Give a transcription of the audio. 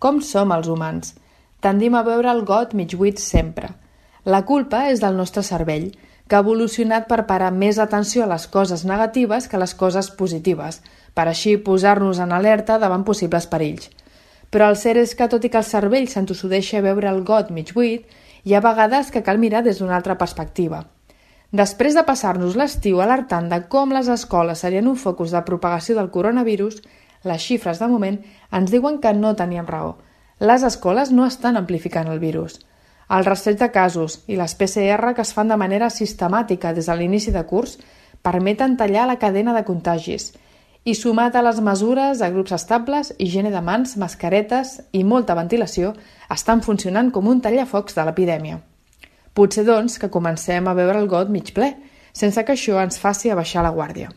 Com som els humans? Tendim a veure el got mig buit sempre. La culpa és del nostre cervell, que ha evolucionat per parar més atenció a les coses negatives que a les coses positives, per així posar-nos en alerta davant possibles perills. Però el cert és que, tot i que el cervell s'entossudeixa a veure el got mig buit, hi ha vegades que cal mirar des d'una altra perspectiva. Després de passar-nos l'estiu alertant de com les escoles serien un focus de propagació del coronavirus, les xifres de moment ens diuen que no teníem raó. Les escoles no estan amplificant el virus. El rastreig de casos i les PCR que es fan de manera sistemàtica des de l'inici de curs permeten tallar la cadena de contagis i, sumat a les mesures de grups estables, higiene de mans, mascaretes i molta ventilació, estan funcionant com un tallafocs de l'epidèmia. Potser, doncs, que comencem a veure el got mig ple, sense que això ens faci abaixar la guàrdia.